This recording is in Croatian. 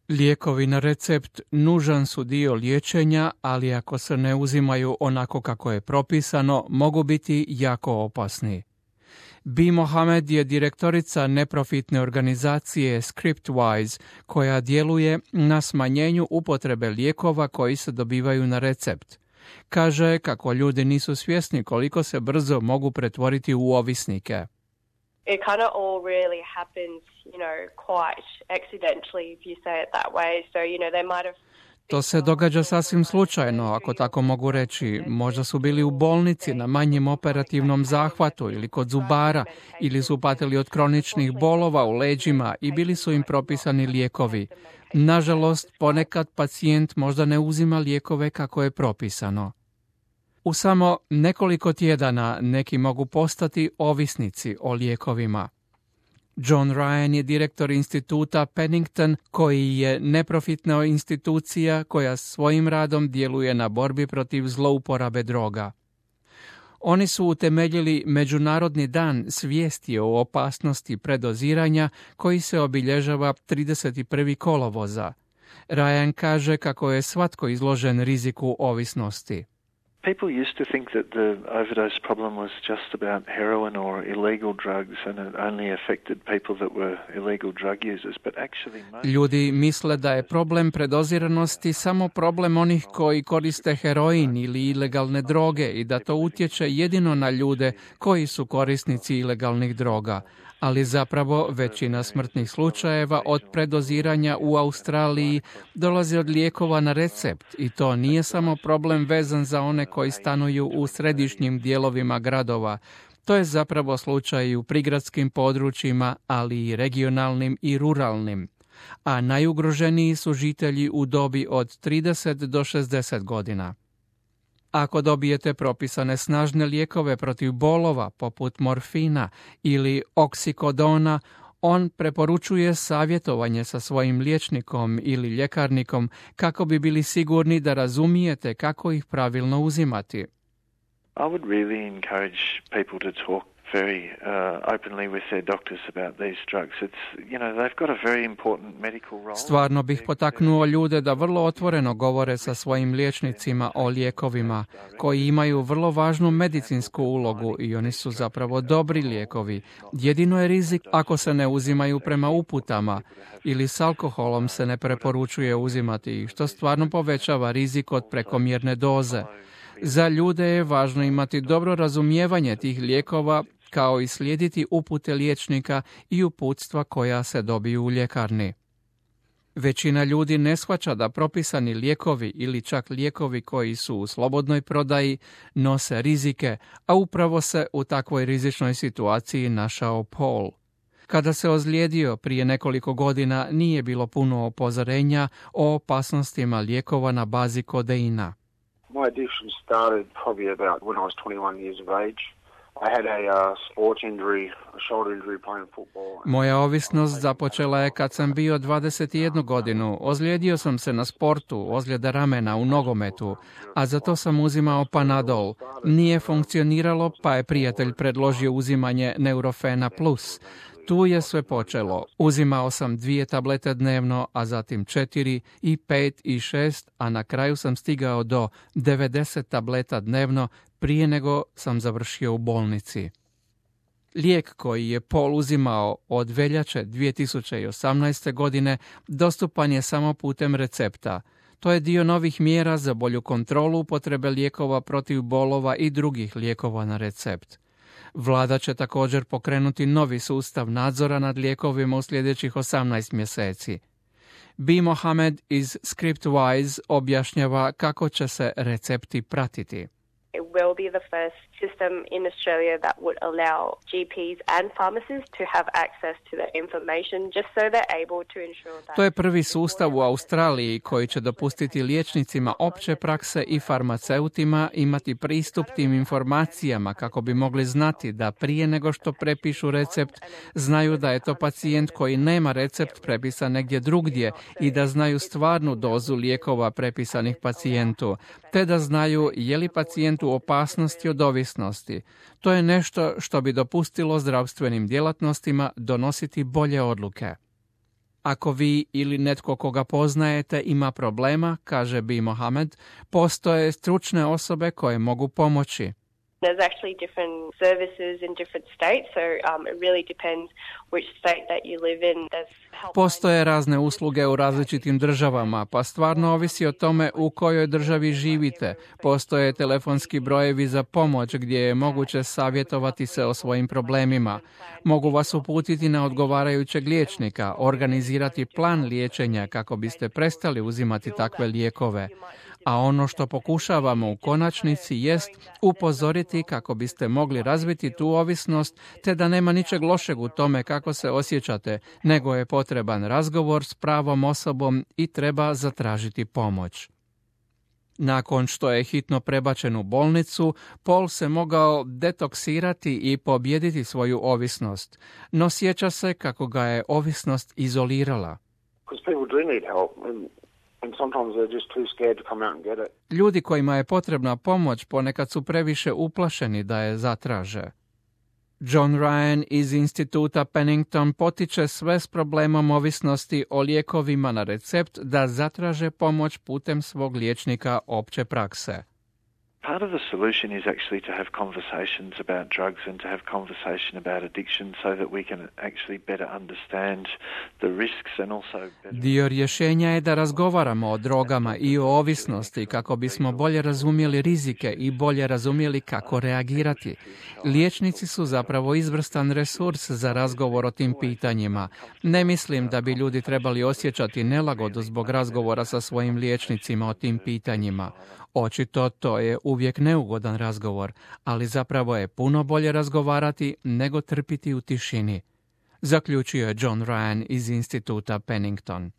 Lijekovi na recept nužan su dio liječenja, ali ako se ne uzimaju onako kako je propisano, mogu biti jako opasni. Bi Mohamed je direktorica neprofitne organizacije Scriptwise, koja djeluje na smanjenju upotrebe lijekova koji se dobivaju na recept. Kaže kako ljudi nisu svjesni koliko se brzo mogu pretvoriti u ovisnike. It kind of all really happens, quite accidentally, if you say it that way. So, they might have... To se događa sasvim slučajno, ako tako mogu reći. Možda su bili u bolnici na manjem operativnom zahvatu ili kod zubara, ili su patili od kroničnih bolova u leđima i bili su im propisani lijekovi. Nažalost, ponekad pacijent možda ne uzima lijekove kako je propisano. U samo nekoliko tjedana neki mogu postati ovisnici o lijekovima. John Ryan je direktor instituta Pennington, koji je neprofitna institucija koja svojim radom djeluje na borbi protiv zlouporabe droga. Oni su utemeljili Međunarodni dan svijesti o opasnosti predoziranja koji se obilježava 31. kolovoza. Ryan kaže kako je svatko izložen riziku ovisnosti. People used to think that the overdose problem was just about heroin or illegal drugs and it only affected people that were illegal drug users, but actually Ljudi misle da je problem predoziranosti samo problem onih koji koriste heroin ili ilegalne droge i da to utječe jedino na ljude koji su korisnici ilegalnih droga. Ali zapravo većina smrtnih slučajeva od predoziranja u Australiji dolazi od lijekova na recept i to nije samo problem vezan za one koji stanuju u središnjim dijelovima gradova. To je zapravo slučaj u prigradskim područjima, ali i regionalnim i ruralnim. A najugroženiji su žitelji u dobi od 30 do 60 godina. Ako dobijete propisane snažne lijekove protiv bolova, poput morfina ili oksikodona, on preporučuje savjetovanje sa svojim liječnikom ili ljekarnikom kako bi bili sigurni da razumijete kako ih pravilno uzimati. I would really encourage people to talk very openly with their doctors about these drugs. It's, they've got a very important medical role. Stvarno bih potaknuo ljude da vrlo otvoreno govore sa svojim liječnicima o lijekovima, koji imaju vrlo važnu medicinsku ulogu i oni su zapravo dobri lijekovi. Jedino je rizik ako se ne uzimaju prema uputama ili s alkoholom se ne preporučuje uzimati ih, što stvarno povećava rizik od prekomjerne doze. Za ljude je važno imati dobro razumijevanje tih lijekova, kao i slijediti upute liječnika i uputstva koja se dobiju u ljekarni. Većina ljudi ne shvaća da propisani lijekovi ili čak lijekovi koji su u slobodnoj prodaji nose rizike, a upravo se u takvoj rizičnoj situaciji našao Paul. Kada se ozlijedio prije nekoliko godina, nije bilo puno upozorenja o opasnostima lijekova na bazi kodeina. My addiction started probably about when I was 21 years of age. I had a sports injury, a shoulder injury playing football. Moja ovisnost započela je kad sam bio 21 godinu. Ozlijedio sam se na sportu, ozljeda ramena u nogometu, a za to sam uzimao Panadol. Nije funkcioniralo, pa je prijatelj predložio uzimanje Neurofena Plus. Tu je sve počelo. Uzimao sam 2 tablete dnevno, a zatim 4 i 5 i 6, a na kraju sam stigao do 90 tableta dnevno prije nego sam završio u bolnici. Lijek koji je Paul uzimao od veljače 2018. godine dostupan je samo putem recepta. To je dio novih mjera za bolju kontrolu upotrebe lijekova protiv bolova i drugih lijekova na recept. Vlada će također pokrenuti novi sustav nadzora nad lijekovima u sljedećih 18 mjeseci. Bi Mohamed iz Scriptwise objašnjava kako će se recepti pratiti. It will be the first system in Australia that would allow GPs and pharmacists to have access to the information just so they're able to ensure that... To je prvi sustav u Australiji koji će dopustiti liječnicima opće prakse i farmaceutima imati pristup tim informacijama kako bi mogli znati da prije nego što prepišu recept znaju da je to pacijent koji nema recept prepisan negdje drugdje i da znaju stvarnu dozu lijekova prepisanih pacijentu, te da znaju je li pacijent u opasnosti od ovisnosti. To je nešto što bi dopustilo zdravstvenim djelatnostima donositi bolje odluke. Ako vi ili netko koga poznajete ima problema, kaže B. Mohamed, postoje stručne osobe koje mogu pomoći. There's actually different services in different states, so it really depends which state that you live in. Postoje razne usluge u različitim državama, pa stvarno ovisi o tome u kojoj državi živite. Postoje telefonski brojevi za pomoć gdje je moguće savjetovati se o svojim problemima. Mogu vas uputiti na odgovarajućeg liječnika, organizirati plan liječenja kako biste prestali uzimati takve lijekove. A ono što pokušavamo u konačnici jest upozoriti kako biste mogli razviti tu ovisnost, te da nema ničeg lošeg u tome kako se osjećate, nego je potreban razgovor s pravom osobom i treba zatražiti pomoć. Nakon što je hitno prebačen u bolnicu, Paul se mogao detoksirati i pobijediti svoju ovisnost, no sjeća se kako ga je ovisnost izolirala. Ljudi kojima je potrebna pomoć ponekad su previše uplašeni da je zatraže. John Ryan iz instituta Pennington potiče sve s problemom ovisnosti o lijekovima na recept da zatraže pomoć putem svog liječnika opće prakse. Part of the solution is actually to have conversations about drugs and to have conversation about addiction so that we can actually better understand the risks and also better... Dio rješenja je da razgovaramo o drogama i o ovisnosti kako bismo bolje razumjeli rizike i bolje razumjeli kako reagirati. Liječnici su zapravo izvrstan resurs za razgovor o tim pitanjima. Ne mislim da bi ljudi trebali osjećati nelagodu zbog razgovora sa svojim liječnicima o tim pitanjima. Očito to je uvijek neugodan razgovor, ali zapravo je puno bolje razgovarati nego trpiti u tišini, zaključio je John Ryan iz instituta Pennington.